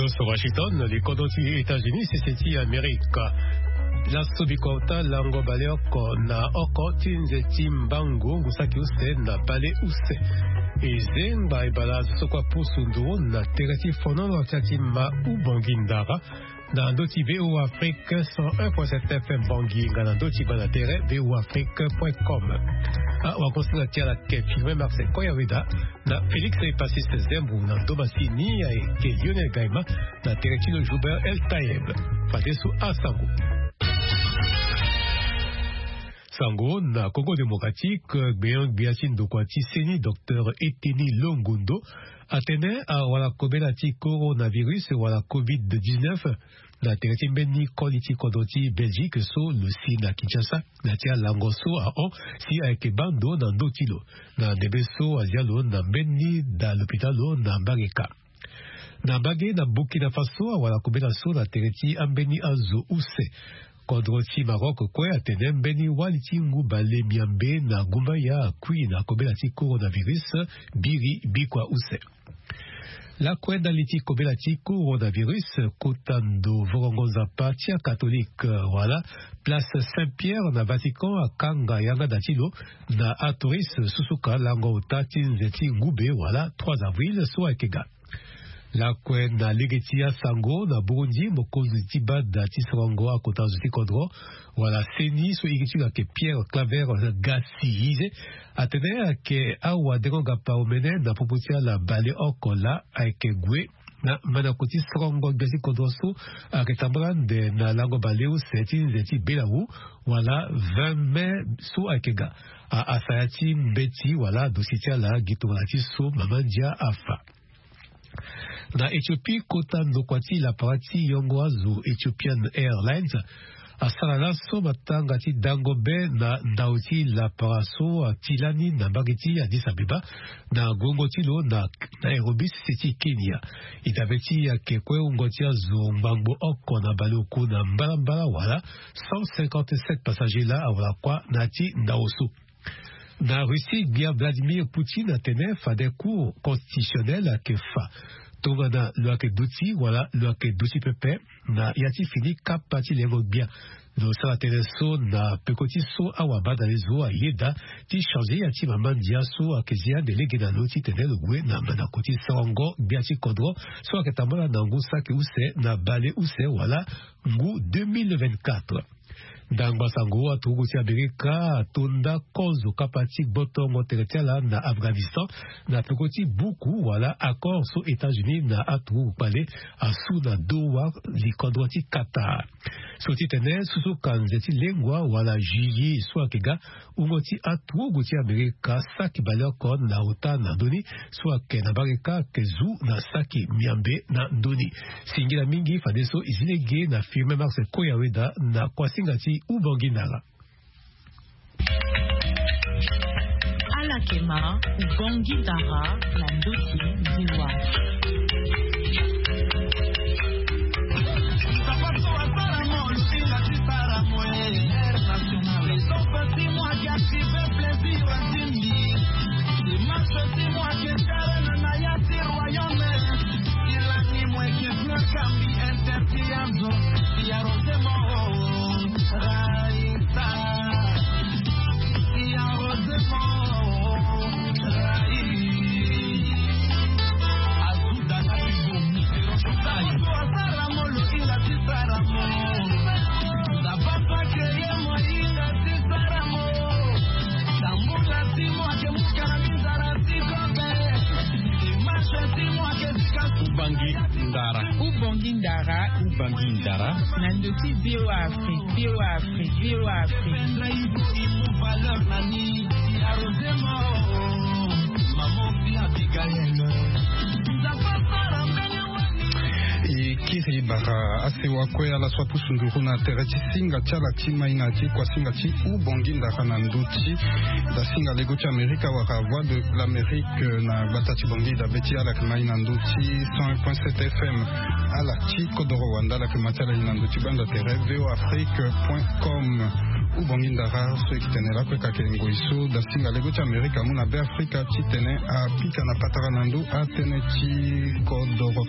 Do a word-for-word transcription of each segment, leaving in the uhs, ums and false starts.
So Washington, likodro ti États-Unis, sese ti Amerika. Laso bikota lango baleoko na oko ti nze ti mbangu ngu saki use na bale use. E zengba e bala azo so kue apusu nduru na tere ti fonolo ti ati ma Ubongi Ndara, na ndö ti V O A Afrique cent un point sept F M Bangui, nga na ndö ti banda tere V O A Afrique point com. Awagosinga ti ala ke Firmin Marcel Koyaweda, na Félix Epassis Zembu, na ndo masini ayeke Lionel Gaima, na tere ti lo Joubert El Tayeb. Fadeso asango. Sango na Congo Démocratique, gbenyo-gbia ti ndokua ti seni, Docteur Eteni Longondo, atene awala kobela ti coronavirus wala covid dix-neuf na tere ti mbeni koli ti kodro ti Belgique so lo si na Kinshasa, na ti alango so ahon si ayeke baa ndo na ndö ti lo, na ndembe so azia lo na mbeni da lopitalo na Mbarika. Na mbage na Burkina Faso, awala kobela so na tere ti ambeni azo use. Kodro ti Maroc kue atene mbeni wali ti ngu bale miambe na gumbaya akui na kobela ti coronavirus, biri bikua use. Lakue ndali ti kobela ti coronavirus, kota ndo vorongo nzapa ti akatolike wala place Saint-Pierre na Vatican akanga yanga da ti lo na atouriste, susuka lango ota ti nze ti ngube wala trois avril so ayeke ga. Lakue na lege ti asango, na Burundi, mokonzi ti bada ti sorongo akota zo ti kodro wala seni so iri ti lo ayeke Pierre Claver Gasiyize, atene ayeke awadengo-gapa omene na popo ti ala baleoko laa ayeke gue na mandako ti sorongo gbia ti kodro so ayeke tambula ande na lango baleuse ti nze ti belawu wala vingt mai so ayeke ga. A, asaya ti mbeti wala dosi ti ala gi tongana ti so mama ndia afa. Na Éthiopie, kota ndokua ti lapara ti yongo azo Ethiopian Airlines asara laso matanga ti dango be na ndau ti lapara so ati lani na mbage ti Addis Abeba na guengo ti lo na Nairobi, sese ti Kenya. E dabe ti e ayeke kue wungo ti azo ngbangbo oko na baleoku na mbalambala wala cent cinquante-sept passagers laa awara kuâ na ya ti ndau so. Na Russie, gbia Vladimir Poutine atene fade Cour constitutionnelle ayeke fa tongana lo yeke duti wala lo yeke duti pepe na ya ti fini kapa ti lengo gbia. Lo sara tënë so na peko ti so awabadale zo ayeda ti changer ya ti mama ndia so ayeke zi ande lege na lo titene lo gue na mandako ti sorongo gbia ti kodro so ayeke tambula na ngu saki use na baleuse wala ngu deux mille vingt-quatre. Ndangba sango, aturugu ti Amerika atonda kozo kapa ti gbotongo tere ti ala na Afghanistan na peko ti buku wala accord so États-Unis na aturugu kpale asu na Doha, likodro ti Qatar. So titene susuka nze ti lengua wala juillet so ayeke ga, wungo ti aturugu ti Amerika saki baleoko na ota na ndoni so ayeke na Amerika ayeke zu na saki miambe na ndoni. Singila mingi fadeso e zi lege na Firmin Marcel Koyaweda na kuasinga ti Ubongi Ndara. Ala yeke ma Ubongi Ndara na ndö ti V O A. Ubangi Ndara. Ubangi Ndara. Ubangi Ndara. Na ndö ti V O A Afrique, V O A Afrique, V O A Afrique. E kiri bara asewa kue ala so apusu nduru na tere ti singa ti ala ti mai na ti kuasinga ti Ubongi Ndara na ndö ti dasinga lego ti Amerika wala Voix de l'Amérique na gbata ti Bangui. Dabe ti ala yeke ma e na ndö ti cent un point sept F M. Ala ti kodoro wanda ala yeke ma ti ala e na ndö ti banda tere V O A Afrique point com. Ubongi ndara so eke tene lakue kake ngoi so da singa lego ti amerika amu na be afrika titene apika na patara na ndo atene ti kodoro.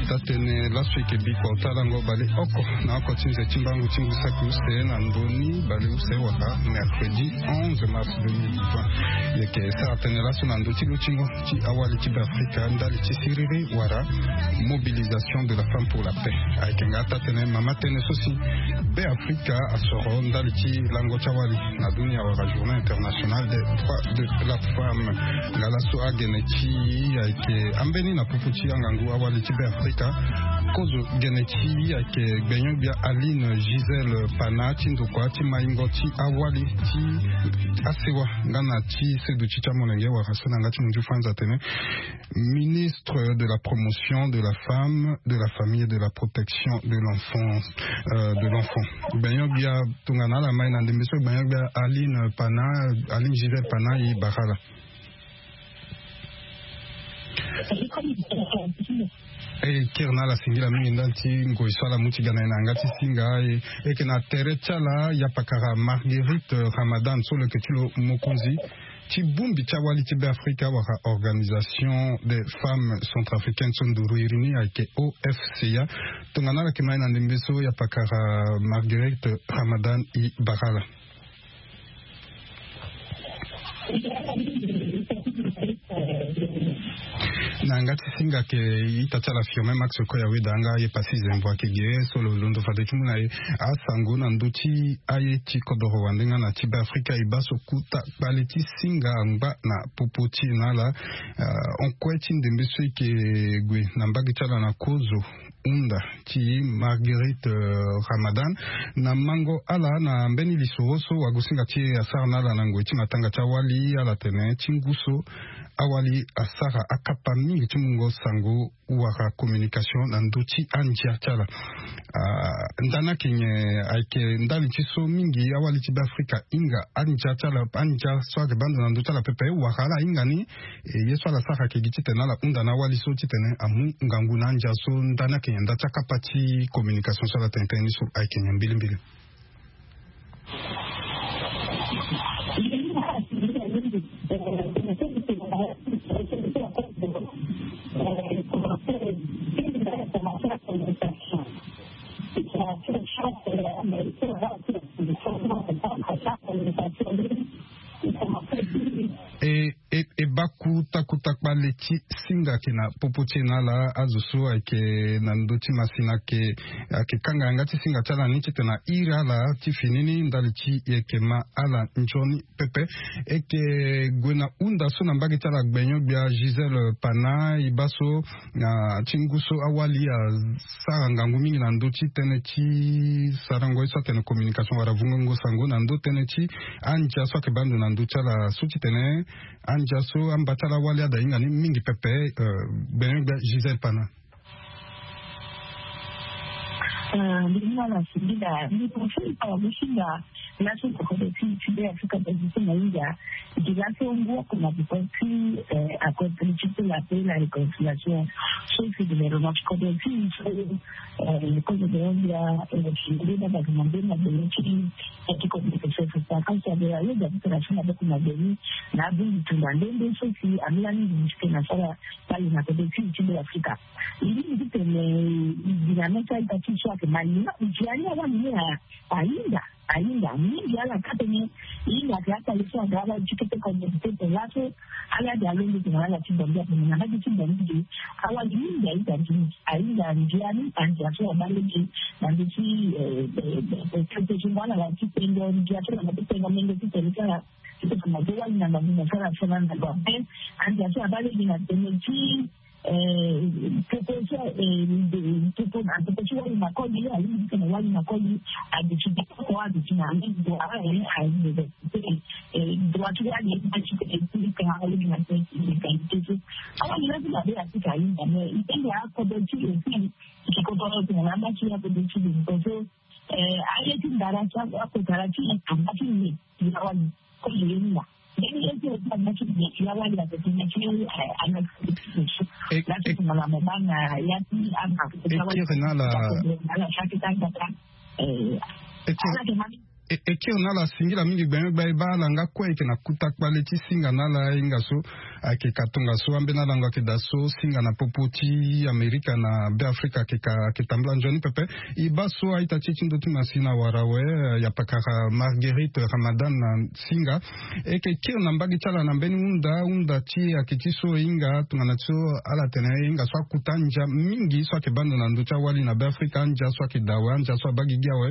Tatene laso eke biko talango baleoko na oko ti nze ti mbangu ti ngu saki use na ndoni baleuse wala mercredi onze mars deux mille vingt. Yeke sara tene laso na ndo ti lutingo ti awali ti be afrika ndali ti siriri wala mobilisation de la femme pour la paix. Ayeke nga tatene mama tene so si be afrika asoro ndali ti lango ti awali na dunia wala journée internationale des droits de la femme. Nga laso agene ti ayeke ambeni na pupu ti angangu awali ti be afrika kozo gene ti ayeke gbenyo-gbia aline gisele pana ti ndokua ti maingo ti awali ti asewa nga na ti seduti ti amolenge wala so na nga ti munzu franz atene ministre de la promotion de la femme, de la famille et de la protection de l'enfant, euh, de l'enfant. Gbenyo-gbia tongana ala mai na ndembe so gbenyo-gbia aline pana, aline gisele pana i bara ala. E kiri na ala singila mingi ndali ti ngoi so ala mu ti ga na ye na yanga ti singa e. Eke na tere ti ala yapakara marguerite ramadan so lo yeke ti lo mokonzi ti bongbi ti awali ti be afrika wala organisation des femmes centrafricaines so nduru iri ni ayeke ofca. Tongana ala yeke mai na ndembe so yapakara marguerite ramadan i bara ala. Na yanga ti singa ke ita ti ala firme max koya weda nga aye pasi zembo ake ge so lo londo fade ti mu na ye asango na ndö ti aye ti kodoro wande nga na ti be afrika e baa so kuta kpale ti singa angba na popo ti e na ala. Onkue ti ndembe so eke gue na mbage ti ala na kozo hunda ti marguerite ramadan na mango ala na mbeni lisoro so wagosinga ti e asara na ala na ngoi ti matanga ti awali ala tene ti ngu so awali asara akapa mingi ti mungo sango wara communication na ndö ti andia ti ala. Ndani ake nyen ayeke ndali ti so mingi awali ti be afrika ahinga andia ti ala andia so ayeke baa ndo na ndö ti ala pepe wara ala ahinga ni. Ye so ala sara ayeke gi titene ala hunda na awali so titene amu ngangu na andia so ndani ayeke nyen nda ti akapa ti communication so ala tene tënë ni so ayeke nyen mbilimbili. E, e, e baa kuta kuta kpale ti singa ayeke na popo ti e na ala azo so ayeke na ndö ti masina ayeke ayeke kanga yanga ti singa ti ala ni titene a iri ala ti fini ni ndali ti e yeke ma ala nzoni pepe. E yeke gue na hunda so na mbage ti ala gbenyo-gbia gisele pana e baa so na ti ngu so awali asara ngangu mingi na ndö ti tënë ti sarango ye so atene communication wala vungongo sango na ndö tënë ti andia so ayeke baa ndo na ndö ti ala so titene andia so amba ti ala awali ada hinga ni mingi pepe. Gbenyo-gbia gisele pana. Ndinga na singila ni profil pa wagosinga laso na kodro ti ti be afrika position na india. Gi laso ngu oko na boko ti accord politique pour la paix la réconciliation so si gouvernement ti kodro ti so kozo de india. Singila na bato na nde na bele ti ti kodro ti so so sa kan sa de la yo da ti tena so na boko na bele na abungi tunda nde nde so si amila mingi ti tena sara bale na kodro ti ti be afrika. Ndingi ti tene dynamique aita ti so ayeke mal ni na ndia ni awali ni ahinga ahinga mingi ala ka tene. Hinga ake akpale so aga ala ti kete communauté tene laso ala de alondo tene ala ti bongi atene na mbage ti bongi de awali mingi ahinga mingi ahinga ndia ni andia so abale ge na nde ti kete ti ngana na ti pengo ndia so na ti pengo menge ti tene ti ala ti tene na do wali na ngangu na so ala so na ngangu ape. Andia so abale ge na tene ti Poko so poko na poko ti wali na koli alingbi ti tene wali na koli. Aduti poko aduti na droit droit ti wali ti tene ti tene alingbi na tene égalité so. Awali la ti mabe atika alinga mais itenge akodo ti aussi ikodo tene na amba ti akodo ti so. Aye ti ndara ti akotara ti amba ti nde ti awali. E kiri na ala. E kiri na ala. E, e kiri na ala singila mingi gbengbe gba e baa ala nga kue ayeke na kuta kpale ti singa na ala ahinga so ayeke ka tongaso ambeni alango ayeke daa so singa na popo ti Amerika na Beafrika ayeke ka ayeke tambula nzoni pepe. E baa so a-ita ti e ti ndö ti masina wara awe, eh, yapakara Marguerite Ramadan na singa. E yeke kiri na mbage ti ala na mbeni hunda, hunda ti e ayeke ti so e hinga tongana ti so ala tene e hinga so akuta andia mingi so ayeke baa ndo na ndö ti awali na Beafrika, andia so ayeke daa awe, andia so abaa gigi awe.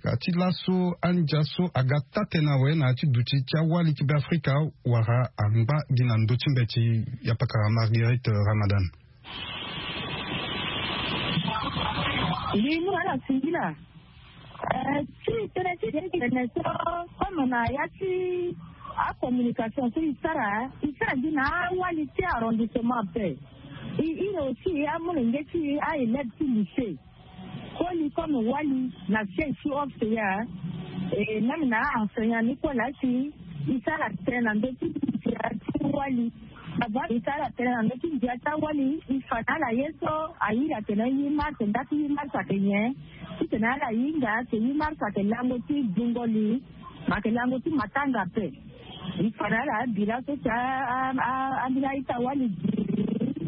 Ka ti laso andia so aga taa-tënë awe na ya ti duti ti awali ti Beafrika wala angba gi na ndö ti mbeti. Yapakara Marguerite Ramadan. Mbi mu na ala singila. Eh, ti tënë ti tene so, comme na ya ti acommunication so e sara, e sara gi na awali ti arrondissement ape. E iri aussi amolenge ti e, a-élève ti lycée. Koli comme wali na siège ti O F C A, e même na a-enseignant ni kue laa si e sara tënë na ndö ti ndia ti wali. Avant e sara tënë na ndö ti ndia ti awali, e fa na ala ye so airi atene huit mars, nda ti huit mars ayeke nyen? Titene ala hinga si huit mars ayeke lango ti dungoli, ma ayeke lango ti matanga ape. E fa na ala bira so si a, a, a, ambeni a-ita wali gi,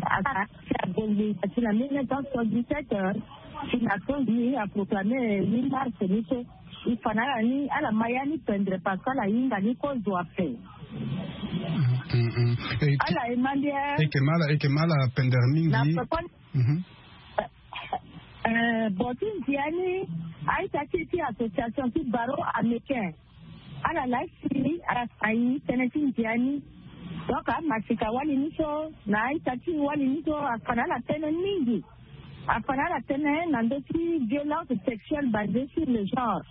a, si abongbi na ti na mille neuf cent soixante-dix-sept, si na so ni aproclame huit mars ni so. E fa na ala ni ala ma ya ni pendre parce que ala hinga ni kozo ape. Mm, mm. E, ala e ma ndia. E yeke ma ala, e yeke ma ala pendre mingi. Na pekoni. Mhm. Eh, eh, bon, ti ndia ni, a-ita ti e ti association ti barreau américain, ala laa si ala fa e tënë ti ndia ni. Donc amasika wali ni so na a-ita ti e wali ni so afa na ala tënë mingi. Afa na ala tënë na ndö ti violence sexuelle basée sur le genre.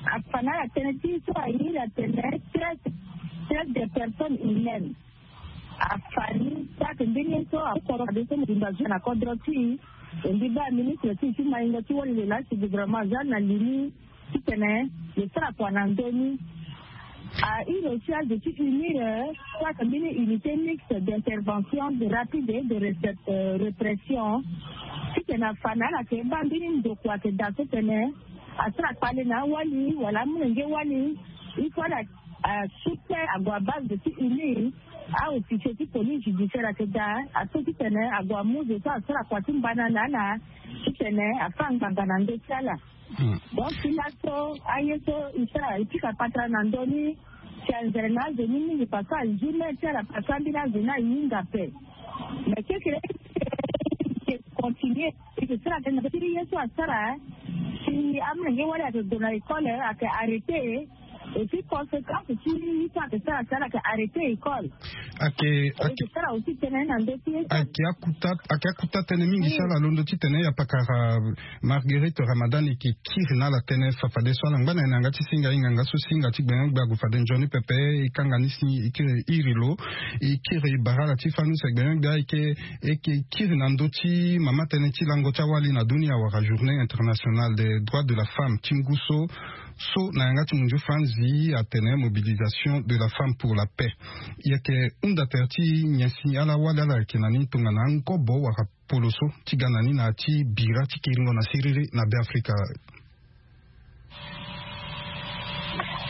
Afa na ala tënë ti so airi atene traite, traite des personnes humaines. Afa ni so ayeke mbeni ye so akoro fade so mobimba zo na kodro ti e. E mbi baa ministre ti e ti maingo ti wali lo laa si gouvernement aza na li ni titene lo sara kua na ndö ni. Airi aussi azo ti UNIR, so ayeke mbeni unité mixte d'intervention, de rapide et de récep-, euh, répression. Titene afa na ala ayeke baa mbeni ndokua ayeke daa so tene asara kpale na awali wala amolenge wali. Il faut ala, ah, soutenir ague a base ti UNIR. A-officier ti police judiciaire ayeke daa aso titene ague amu zo so asara kua ti mbana na ala titene afâ ngbanga na ndö ti ala. Hmm. Donc ti laso aye so e sara e pika patara na ndö ni, si anzere na azo ni mingi parce que azi mê ti ala parce que ambeni azo ni ahinga ape. Mais kekere e continuer e yeke sara tënë na ndö ti ye so asara. Si amolenge wali ayeke gue na école ayeke arrêté. Et puis conséquence ti ye so ayeke sara si ala yeke arrêté école. Ayeke, ayeke sara aussi tënë na ndö ti ye so. Ayeke akuta, ayeke akuta tënë mingi si ala londo titene yapakara Marguerite Ramadan e yeke kiri na ala tënë fa fadeso ala ngba na e na yanga ti singa ahinga nga so singa ti gbengbe ague fade nzoni pepe. E kanga ni si e kiri iri lo, e kiri bara ala ti fâ ni so gbengbe ayeke, e yeke kiri na ndö ti mama tënë ti lango ti awali na dunia wala journée internationale des droits de la femme ti ngu so. So na yanga ti munzu franzi atene mobilisation de la femme pour la paix. E yeke hunda tere ti nyen si ala wali ala yeke na ni tongana angobo wala polo so ti ga na ni na ya ti bira ti kiringo na siriri na Beafrika.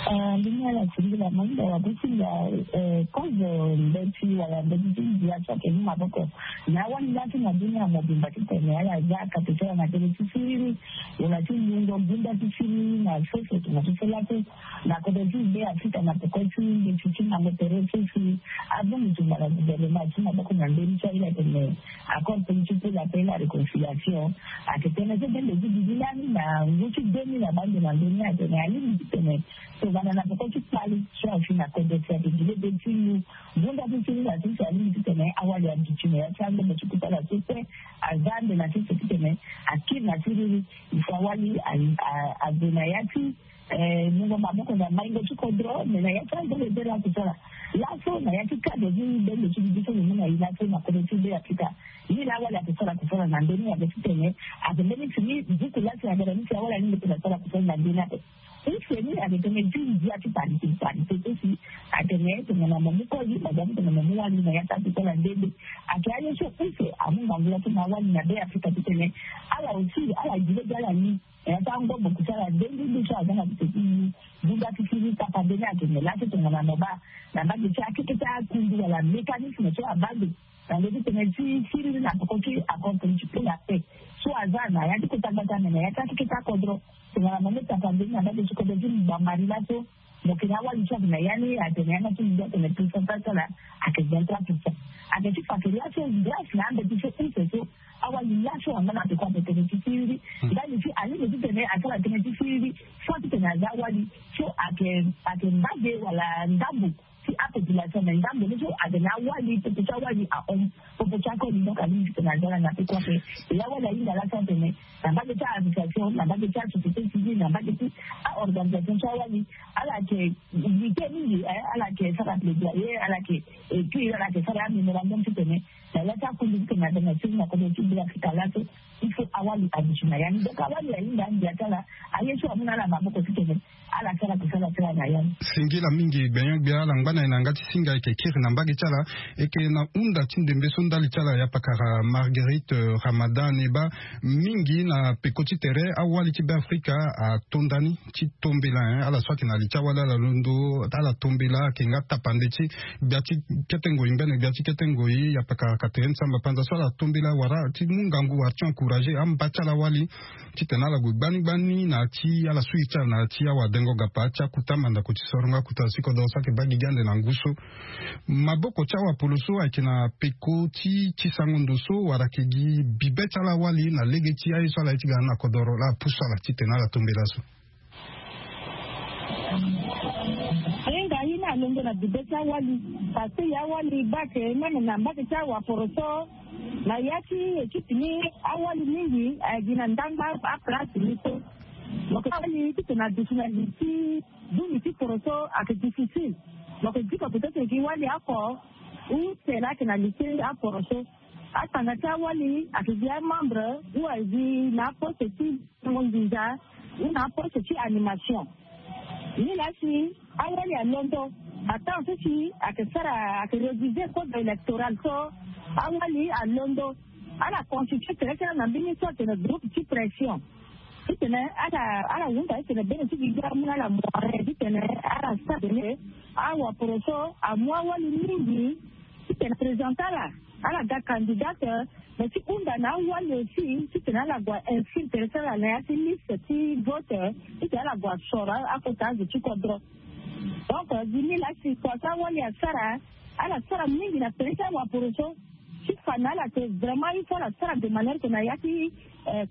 Ah, mbi mu ala singila manda wa be ti nda, eh, kozo mbeti wala mbeti ti ndia so ayeke mu maboko na awali laa ti na dunia mobimba titene ala za kate ti ala na tere ti siriri wala ti lungo gunda ti siriri na sese tongana ti so laso. Na kodro ti Beafrika na peko ti mbeti ti mango tere so si abongbi tumba na gouvernement ti maboko na mbeni so airi atene accord politique pour la paix et la réconciliation. Ayeke tënë so bendo ti gigi lani na ngu ti deux mille abaa ndo na ndoni atene alingbi titene tongana na peko ti kpale so afi na kodro si ayeke gi lebe ti lu gunda ti siriri na sese alingbi titene awali aduti na ya ti andomo ti kota ala so kue aza ande na sese titene akiri na siriri. Il faut awali a, a, ague na ya ti Eh, mungo maboko na maingo ti kodro, me na ya ti angele bere akusala. Laso na ya ti cadre ti bendo ti bibi so lo mu na e laso na kodro ti Beafrika. Ni laa awali akusala kusala na ndö ni abe titene ayeke mbeni fini buku laa si agara ni si awali alingbi tene asara kusala na ndö ni ape. Use ni ayeke tënë ti ndia ti parité parité ti si. Atene tongana mo mu koli mo za ti tongana mo mu wali na ya ti ape ti ala nde nde. Ayeke aye so use amu ngangu laso na awali na be afrika titene ala aussi ala gi lege ala ni na ya ti angobo kusa ala nde nde nde so aza na tete ti. Zunga ti siri tapande ni ayeke me laso tongana mo baa na mbage ti akeke ti akundu wala mécanisme so abaa ndo na ndo ti tene ti siriri na poko ti accord politique pour la paix so aza na ya ti kota gbata me na ya ti akeke ti akodro. Tongana mo mu tapande ni na mbage ti kodro ti bambari laso mo yeke na awali so ayeke na ya ni atene ya nga ti ndia atene pourcentage ti ala ayeke vingt trois pourcent. Ayeke ti fa ake laso grâce na ambeti so use so awali laso angba na peko ape tene ti siriri ndali ti alingbi titene asara tënë ti siriri soit titene aza awali so ayeke ayeke mbage wala ndambo ti apopulation me ndambo ni so atene awali popo ti awali ahon popo ti akoli donc alingbi titene aza ala na peko ape. E awali ahinga laso atene na mbage ti a-association na mbage ti asociété civile na mbage ti aorganisation ti awali ala yeke lutte mingi. Ala yeke sara plaidoyer ala yeke écrire ala yeke sara ya mémorandum titene na ya ti akundu titene atene na siriri na kodro ti be afrika laso. Il faut awali aduti na ya ni donc awali ahinga andia ti ala aye so amu na ala maboko titene ala sara kusala ti ala na ya ni. Singila mingi gbenyo-gbia ala ngba na e na yanga ti singa e yeke kiri na mbage ti ala. E yeke na hunda ti ndembe so ndali ti ala ya pakara marguerite ramadan e baa mingi na peko ti tere awali ti be afrika ato nda ni ti tombela en ala so ayeke na li ti awali ala londo ala tombela ayeke nga tapande ti gbia ti kete ngoi mbene gbia ti kete ngoi ya pakara katere ni samba panza so ala tombela wala ti mu ngangu wala ti encourager amba ti ala wali titene ala gue gbani gbani na ya ti ala su iri ti ala na ya ti awadengo gapa ti akuta mandako ti sorongo akuta ti kodoro so ayeke baa gigi ande na ngu so. Maboko ti awapolo so ayeke na peko ti ti sango ndo so wala ayeke gi bibe ti ala wali na lege ti aye so ala ye ti ga na kodoro laa apusu ala titene ala tombela so. Hinga ye ni alondo na bibe ti awali. Parce que ye awali baa ake même na mbage ti awaporo so na ya ti équipe ni awali mingi ayeke gi na ndangba aplace ni so. Mo yeke wali titene aduti na li ti buni ti poro so ayeke difficile. Mo yeke diko peut-être gi wali oko use laa ayeke na li ti aporo so. Atanga ti awali ayeke gi amembre ou ayeke gi na aposte ti nginza ou na aposte ti animation. Ni laa si awali alondo atemps so si ayeke sara ayeke réviser code électoral so awali alondo ala constituer tere ti ala na mbeni so atene groupe ti pression. Titene ala ala hunda titene bene ti gigi amu na ala moyen titene ala sara tene awaporo so amu awali mingi titene présente ala ala ga candidate. Mais ti hunda na awali aussi titene ala gue inscrire tere ti ala na ya ti liste ti vote titene ala gue asoro akota azo ti kodro. Donc gi ni laa si kua so awali asara ala sara mingi na tere ti awaporo so ti fa na ala ke vraiment il faut ala sara de manière ke na ya ti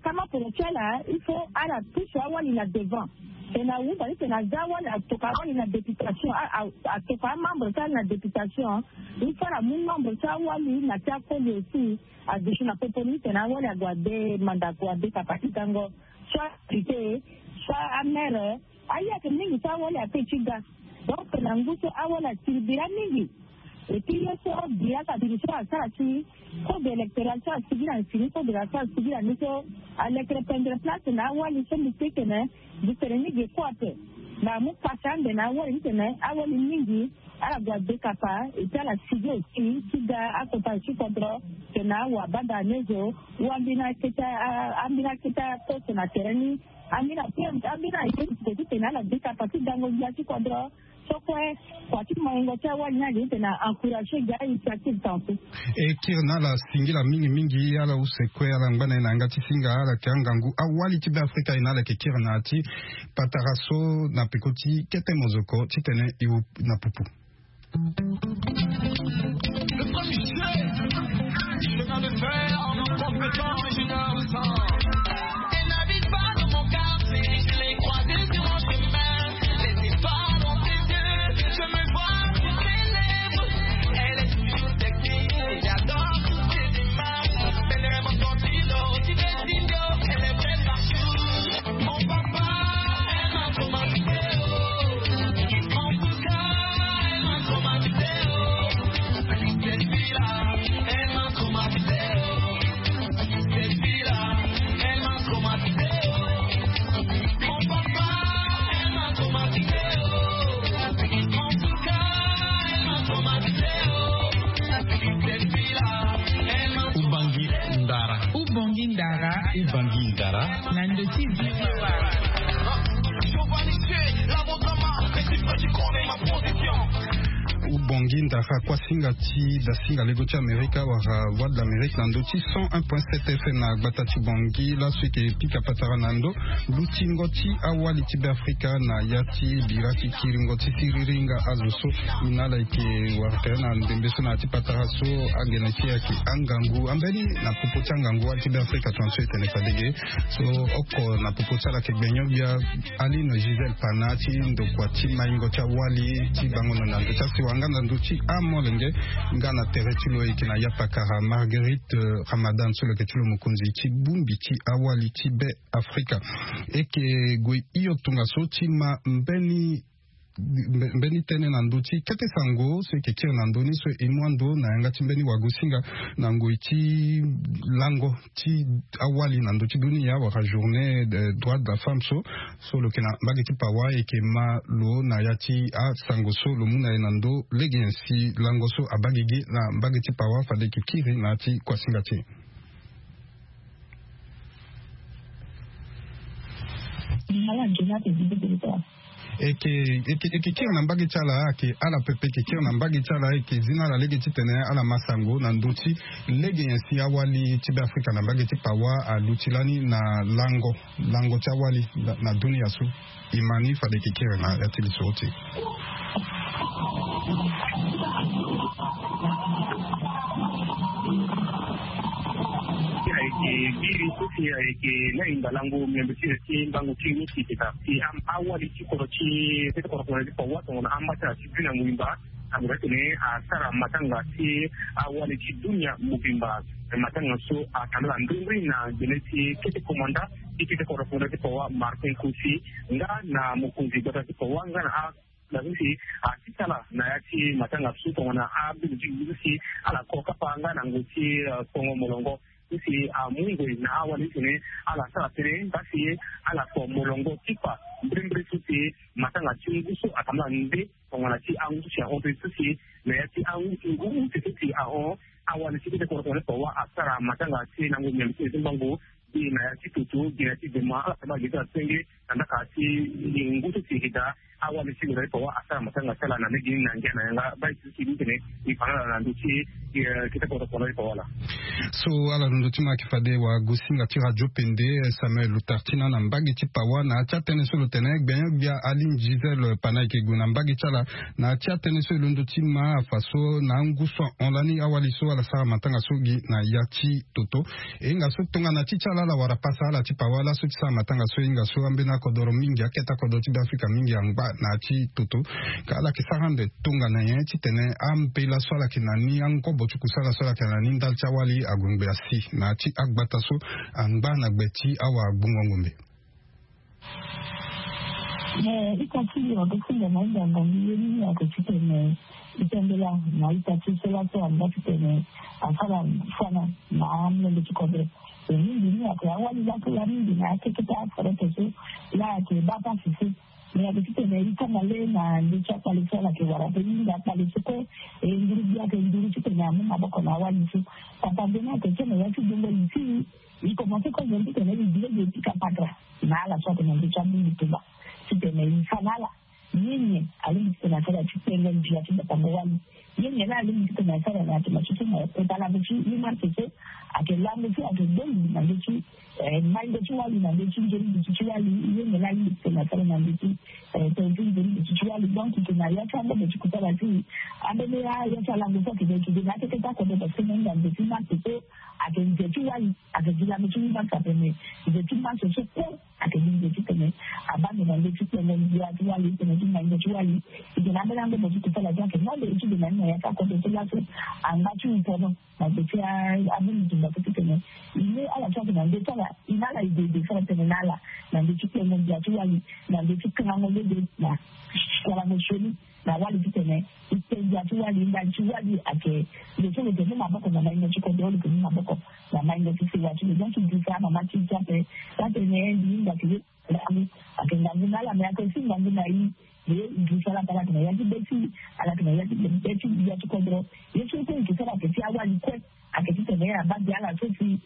kama poro ti ala il faut ala pusu awali na devant. Tena awuta ti tena aza awali atoka awali na députation atoka amembre ti ala na députation. Il faut ala mu membre ti awali na ti akoli aussi aduti na popo ni tena awali ague ade mandako ade kapa ti gango soit député soit amere. Aye ayeke mingi so awali ape ti ga. Donc na ngu so awali atiri bira mingi. Epui ye so bira ka biri so asara ti code électoral so asigi na sini code électoral so asigi na ni so alekere pendre place na awali so mbi teke na mbi tene ni ge kue ape. Na amu pasi ande na awali ni tene awali mingi ala gue adekapa epui ala sigi aussi ti ga akota ti kodro. Tena awa banda anezo ou ambeni akete ambeni akete aposte na tere ni. Ambeni aposte ambeni aye ti tene ala dekapa ti gango gbia ti kodro. So kue kua ti maingo ti awali ni age ti tene a encourager ga initiative tantu. E kiri na ala singila mingi mingi ala use kue ala ngba na ye na yanga ti singa ala yeke angangu awali ti be afrika ye na ala yeke kiri na ya ti patara so na peko ti kete mozoko titene e wu na pupu. Ubongi ndara kuasinga ti dasinga lego ti Amerika wala Voix de l'Amérique na ndö ti cent un point sept F M na gbata ti Bangui. Laso eke pika patara na ndö lutingo ti awali ti Beafrika na ya ti bira ti kiringo ti siriri nga azo so. Ina ala eke wara tere na ndembe so na ya ti patara so. Angene ti e ayeke angangu ambeni na popo ti angangu wali ti Beafrika tongaso e tene fade ge. So oko na popo ti ala ayeke gbenyo-gbia Aline Gisèle Pana ti ndokua ti maingo ti awali ti bango na ndö ti asiwa nga na ndö ti amolenge nga na tere ti lo eke na yapakara Marguerite, eh, Ramadan so lo yeke ti lo mokonzi ti bongbi ti awali ti Beafrika. Eke gue hio tongaso ti ma mbeni mbe- mbeni tënë na ndö ti kete sango so eke kiri na ndö ni so e mu ando na yanga ti mbeni wagosinga na ngoi ti lango ti awali na ndö ti dunia wala journée de droit de la femme so. So lo yeke na mbage ti pawa eke ma lo na ya ti asango so lo mu na e na ndö lege nyen si lango so abagi gi na mbage ti pawa fade eke kiri na ya ti kuasinga ti e. Eke eke eke kiri na mbage ti ala ayeke ala pepe eke kiri na mbage ti ala ayeke zi na ala lege titene ala ma sango na ndö ti lege nyen si awali ti Beafrika na mbage ti pawa aluti lani na lango lango ti awali na- na dunia so. E ma ni fade eke kiri na ya ti lisoro ti e. Ayeke biri so si ayeke na hinga lango miambe ti e ti mbango ti e ni si eke daa si am- awali ti kodro ti kete kodro ti pawa tongana ambata ti dunia mobimba. Amu titene asara matanga ti awali ti dunia mobimba. Matanga so atambula mbirimbiri na gbele ti kete komanda ti kete kodro ti pawa Martin Kosi nga na mokonzi gbata ti pawa nga na a- na so si asi sala na ya ti matanga so tongana abingo ti so si ala ko kapa nga na ngoi ti, eh, kongo molongo so si amu ngoi na awali titene ala sara tënë nga si ala ko molongo ti fa mbirimbiri so si matanga ti ngu so atambula nde tongana ti angu so si ahon tënë so si na ya ti angu ti ngu use so si ahon awali ti kete kodro ti pawa asara matanga ti lango miambe ti e ti mbango. Gi na ya ti toto gi na ya ti dema ala saba gi ti ala senge na ndaka ti ngu so si eke daa awali ti kodro ti pawa asara matanga ti ala na lege ni na ngia na yanga bai ti so si ni tene e fa na ala na ndö ti, eh, kete kodro ti pawa laa. So ala londo ti ma ayeke fade wagosinga ti radio pende, eh, Samuel Lutartina na mbage ti pawa na ya ti atënë so lo tene gbenyo-gbia Aline Gisèle Pana eke gue na mbage ti ala na ya ti atënë so e londo ti ma afa so na angu so ahon lani awali so ala sara matanga so gi na ya ti toto. E hinga so tongana ti ti ala ala wara pasa ala ti pawa laso ti sara matanga so e hinga so ambeni akodoro mingi akete akodoro ti Beafrika mingi angba na ya ti toto. Ka ala yeke sara ande tongana nyen titene ambela so ala yeke na ni angobo ti kusala so ala yeke na ni ndali ti awali ague ngbe asi na ya ti agbata so angba na gbe ti awagbongo ngombe. Mais ita ti lo ape ti lo na hinga ngangu ye ni ni ayeke titene e tambela na ita ti so laso angba titene asara fana na amolenge ti kodro. E mingi ni ayeke awali laso la mingi na akeketa aferete so la ayeke baa pasi so. Mais ayeke titene e kanga le na ndö ti akpale so ala yeke wara ape mingi akpale so kue. E nguru gbia ayeke nduru titene amu maboko na awali so. Papa mbeni ayeke so na ya ti gbongo li ti e. E komanse kozo titene e gi lege e pika patara na ala so ayeke na ndö ti abungi tumba titene e fa na ala ye nyen alingbi titene asara ti kpengo ndia ti batango wali. Ye nyen la alingbi titene asara na yatema ti so na kota lango ti humanité so ayeke lango so ayeke gbongi na ndö ti, eh, maingo ti wali na ndö ti nzoni duti ti wali. Ye nyen la alingbi titene asara na ndö ti, eh, tene ti nzoni duti ti wali. Donc e yeke na ya ti angobo ti kusala ti e. Ambeni ya ti alango so ayeke daa e yeke daa na akeketa kodro parce que na hinga nze ti marché so ayeke nze ti wali. Ayeke gi lango ti humanité atene nze ti marché so kue ayeke gi nze titene abaa ndo na ndö ti kpengo ndia ti wali titene ti maingo ti wali. E yeke na ambeni angobo ti kusala so ayeke nande e ti gue na ni na ya ti akodro so laso angba ti hupono na gbe ti abungi tumba so titene e mu ala so ayeke na ndö ti ala e na ala e gue e gue sara tënë na ala na ndö ti kpengo ndia ti wali na ndö ti kangango lege na kualango sioni na wali titene e kpe ndia ti wali ndali ti wali ayeke lo so lo yeke mu maboko na maingo ti kodro lo yeke mu maboko na maingo ti sewa ti lo. Donc e gi fa amama ti e ti ape atene mbi hinga ke ye ngangu ayeke ngangu na ala me ayeke si ngangu na e. Ye e gi fa ala pe ala yeke na ya ti be ti ala yeke na ya ti be ti ya ti kodro. Ye so kue e yeke sara ape ti awali kue ayeke titene na bade ala so si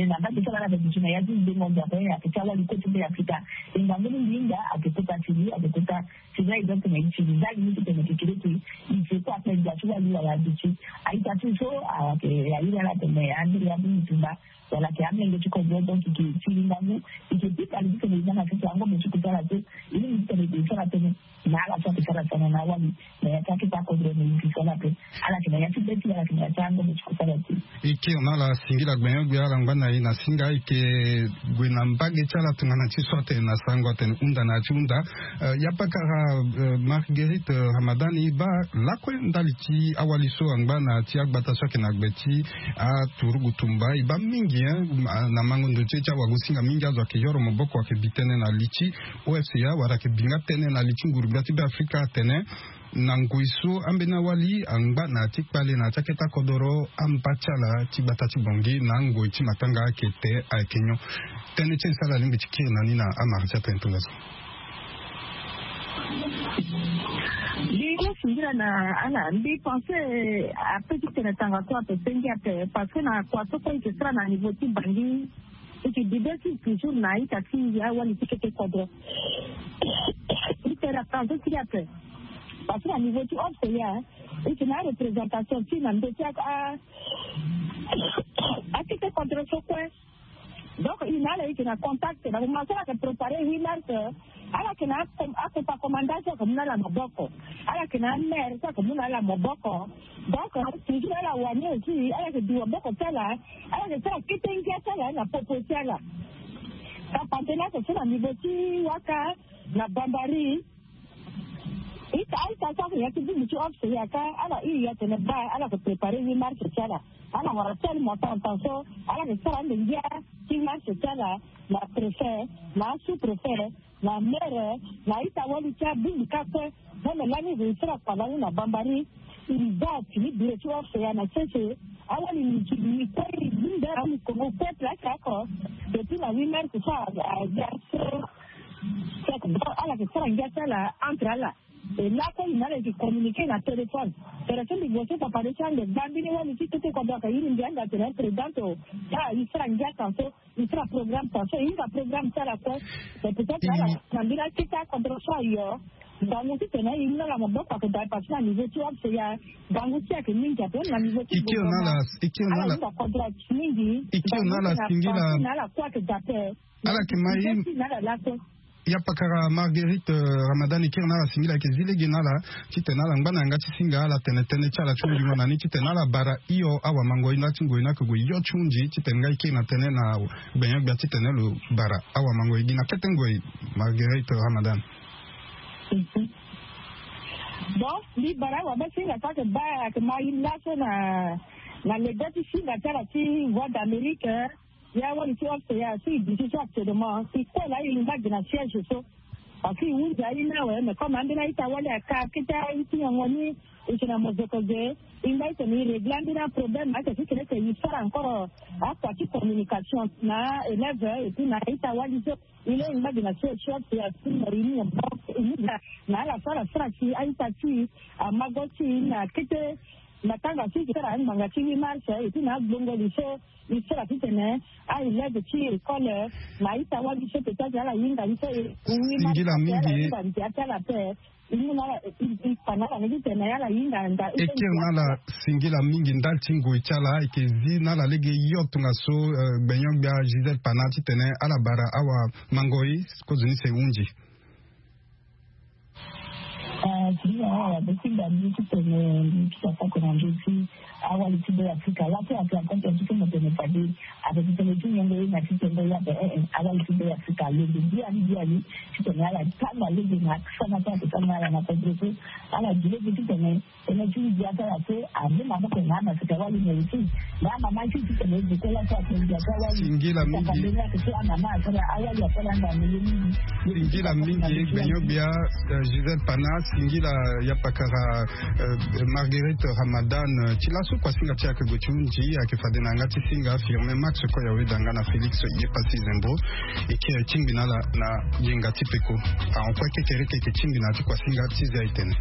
na bade so ala na bade so na ya ti dengo nzapa ayeke ti awali kue ti be afrika. E ngangu mingi hinga ayeke kota ti li ayeke kota ti la e donc na e ti li ndali ni titene e yeke kiri eke e se kue ape ndia ti wali wala ade ti a-ita ti so ayeke airi ala atene ambiri ambiri tumba wala ayeke amenge ti kodro donc e yeke ti li ngangu e yeke pika li titene e za na sese angombe ti kusala so e lingbi titene e sara tënë na ala so ayeke sara tënë na awali na ya ti akete akodro na e yeke sala ape. Ala yeke na ya ti be ti ala yeke na ya ti angombe ti kusala ti e. E kiri na ala singila gbenyo-gbia ala ngba na e na singa e yeke gue na mbage ti ala tongana ti so atene na sango atene hunda na ya ti hunda. Ya pakara Marguerite Ramadan e baa lakue ndali ti awali so angba na ya ti agbata so ayeke na gbe ti aturugu tumba e baa mingi na mango ndo ti e ti awagosinga mingi azo ayeke yoro maboko ayeke bi tënë na li ti O F C A wala ayeke bi nga tënë na li ti nguru-gbia ti be afrika atene na ngoi so ambeni awali angba na ya ti kpale na ya ti akete akodoro amba ti ala ti gbata ti bongi na angoi ti matanga ayeke te ayeke nyon. Tënë ti e so ala lingbi ti kiri na ni na amara ti atënë tongaso. Lingo singila na ala mbi pense ape ti tene tanga so ape sengi ape parce que na kua so kue e ke sara na niveau ti bangi e ke bibe ti toujours na ita ti awali ti kete kodro. E tene tanga so ti ape parce que na niveau ti ofce ya e ke na représentation ti na ndo ti akete kodro so kue. Donc e na ala e ke na contact na moment so ala ke préparer huit mars ala ke na akopa commandant so ake mu na ala maboko. Ala ke na amere so ake mu na ala maboko. Donc toujours ala wani aussi ala ke du maboko ti ala ala ke sara kete ngia ti ala na popo ti ala. Tapante ni ake so na niveau ti waka na bambari. Ita aita so ake ya ti bumbu ti office ya ka ala iri ya tene ba ala ke préparer huit mars ti ala. Ala wara tel montant montant so ala ke sara ande ngia ti huit mars ti ala na préfet na sous préfet na mere na ita wali ti abundu ka kue. Meme lani zo e sara kua lani na bambari. E za tini biro ti office ya na sese. Awali ni ti ni kue e bunda ni kongo kue place ako. Depuis na huit mars so aza so ala ke sara ngia ti ala entre ala. E lakue e na ala e ke communiquer na téléphone. Tere so mbi gue so papa de ti ande gba mbeni wali ti tete kua donc ayiri mbi ande atene présidente o. Ah e sara ngia tan so e sara programme tan so e hinga programme ti ala kue. Mais peut-être ala na mbeni akete acontre so ayo. Ngangu titene e mu na ala maboko ake daa e parti na niveau ti office ya. Ngangu ti ayeke mingi ape na niveau ti e kiri na ala e kiri na ala e kiri na ala singila. Na ala kue ake daa ape. Ala yeke ma e na ala lakue. Ya pakara Marguerite Ramadan e kiri na ala singila ayeke zi lege na ala titene ala ngba na yanga ti singa ala tene tënë ti ala ti hungingo na ni titene ala bara hio awamangoi na ti ngoi ni ake gue hio ti hunzi titene nga e kiri na tënë na gbenyo-gbia titene lo bara awamangoi gi na kete ngoi. Marguerite Ramadan. Bon mbi bara awabasinga so ake baa ake ma e laso na na lege ti singa ti ala ti voie d'Amérique. Ya wali ti office ya so e duti so actuellement e kue laa e ngba gi na siège so. Parce que e hunzi aye ni awe mais comme ambeni a-ita wali aka akete aye ti nyango ni. E si na mozoko ge e ngba titene e régler ambeni aproblème ake titene eke e sara encore akua ti communication na élève et puis na a-ita wali so. E laa e ngba gi na siège so office ya so na réunion na ala so ala sara si a-ita ti amago ti na kete matanga so e ke sara angbanga ti huit mars et puis na agbongo li so. E sara titene a-élève ti école na a-ita wali so peut-être ala hinga ni so e huit mars singila mingi ala hinga ndia ti ala ape. E mu na ala e e pa na ala ni titene ala hinga nda e kiri na ala. Singila mingi ndali ti ngoi ti ala e ke zi na ala lege hio tongaso. Gbenyo-gbia Gisèle Pana titene ala bara awamangoi. Kozoni si e hunzi. Singila na ala be singa mbi titene mbi ti sasa oko na ndö ti awali ti be afrika laso ake akonte ti tene tene fade. Ape titene ti nyengo ye na ti tene ya ape eh eh awali ti be afrika lembe biani biani. Titene ala tanga lege na sana so ake tanga ala na kodro so ala gi lege titene tene ti ndia ti ala so ande maboko na amaseka wali na eti. Na amama ti titene e deko laso ake ndia ti awali. Singila mingi. Saka mbeni ake so amama asara awali asara anda mele mingi. Singila mingi gbenyo-gbia. Gisèle Pana singila ya pakara Marguerite Ramadan ti laso kua singa ti e ake gue ti hunzi ake fade na yanga ti singa Firmin Max kue ya weda nga na Félix ye pasi zembo. E kiri tingbi na ala na yenga ti peko. Ahon kue kekereke e ke tingbi na ya ti kua singa ti zia e tene.